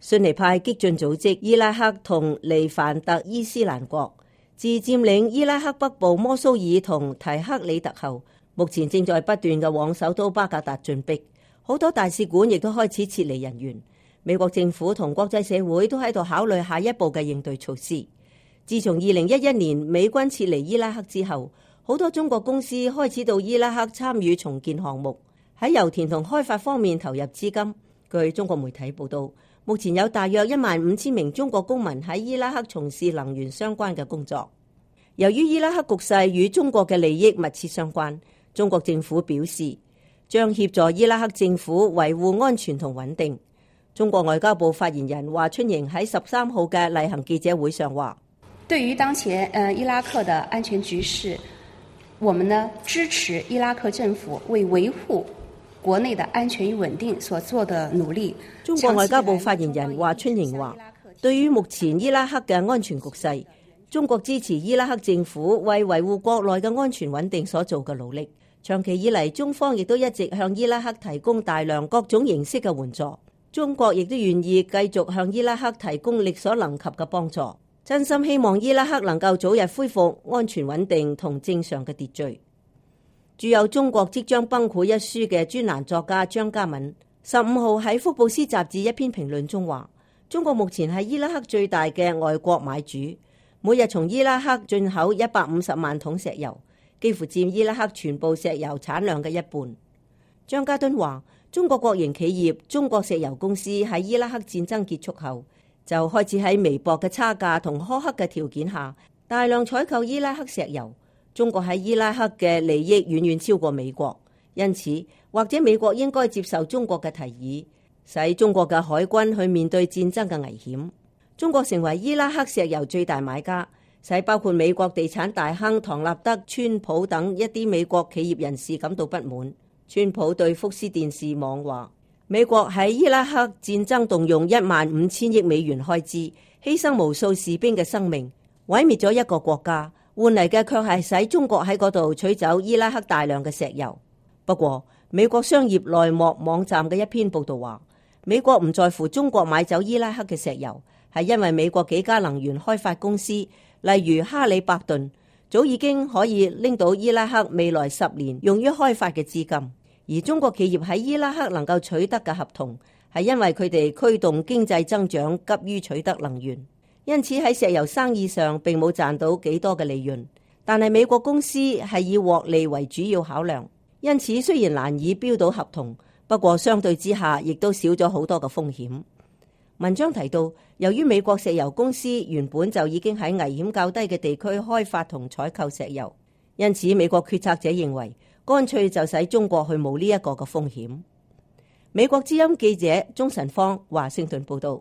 遜尼派激進組織伊拉克同黎凡特伊斯蘭國自佔領伊拉克北部摩蘇爾同提克里特後，目前正在不斷嘅往首都巴格達進逼，好多大使館亦都開始撤離人員。美國政府同國際社會都喺度考慮下一步嘅應對措施。自從2011年美軍撤離伊拉克之後，好多中國公司開始到伊拉克參與重建項目，喺油田同開發方面投入資金。據中國媒體報道，目前有大約15000名中國公民喺伊拉克從事能源相關嘅工作。由於伊拉克局勢與中國嘅利益密切相關，中國政府表示將協助伊拉克政府維護安全同穩定。中國外交部發言人華春瑩喺13號嘅例行記者會上話：對於當前伊拉克的安全局勢，我們呢支持伊拉克政府為維護國內的安全與穩定所做的努力。中國外交部發言人華春瑩話：對於目前伊拉克嘅安全局勢，中國支持伊拉克政府為維護國內嘅安全穩定所做嘅努力。長期以嚟，中方亦都一直向伊拉克提供大量各種形式嘅援助。中國亦都願意繼續向伊拉克提供力所能及嘅幫助。真心希望伊拉克能夠早日恢復安全穩定同正常嘅秩序。著有《中國即將崩潰》一書嘅專欄作家張嘉敏15號喺福布斯雜誌一篇評論中話：中國目前係伊拉克最大嘅外國買主，每日從伊拉克進口150萬桶石油，幾乎佔伊拉克全部石油產量嘅一半。張家敦話：中國國營企業中國石油公司喺伊拉克戰爭結束後，就開始喺微薄嘅差價同苛刻嘅條件下，大量採購伊拉克石油。中國喺伊拉克嘅利益遠遠超過美國，因此或者美國應該接受中國嘅提議，使中國嘅海軍去面對戰爭嘅危險。中國成為伊拉克石油最大買家，使包括美國地產大亨唐納德、川普等一啲美國企業人士感到不滿。川普對福斯電視網話：美國喺伊拉克戰爭動用15000億美元開支，犧牲無數士兵嘅生命，毀滅咗一個國家，換嚟嘅卻係使中國喺嗰度取走伊拉克大量嘅石油。不過，美國商業內幕網站嘅一篇報道話，美國唔在乎中國買走伊拉克嘅石油，係因為美國幾家能源開發公司，例如哈里伯頓，早已經可以拎到伊拉克未來10年用於開發嘅資金。而中國企業喺伊拉克能夠取得嘅合同，係因為佢哋驅動經濟增長急於取得能源，因此喺石油生意上並冇賺到幾多嘅利潤。但係美國公司係以獲利為主要考量，因此雖然難以標到合同，不過相對之下亦都少咗好多嘅風險。文章提到，由於美國石油公司原本就已經喺危險較低嘅地區開發同採購石油，因此美國決策者認為，乾脆就使中國去冒呢一個嘅風險。美國之音記者鍾晨芳華盛頓報道。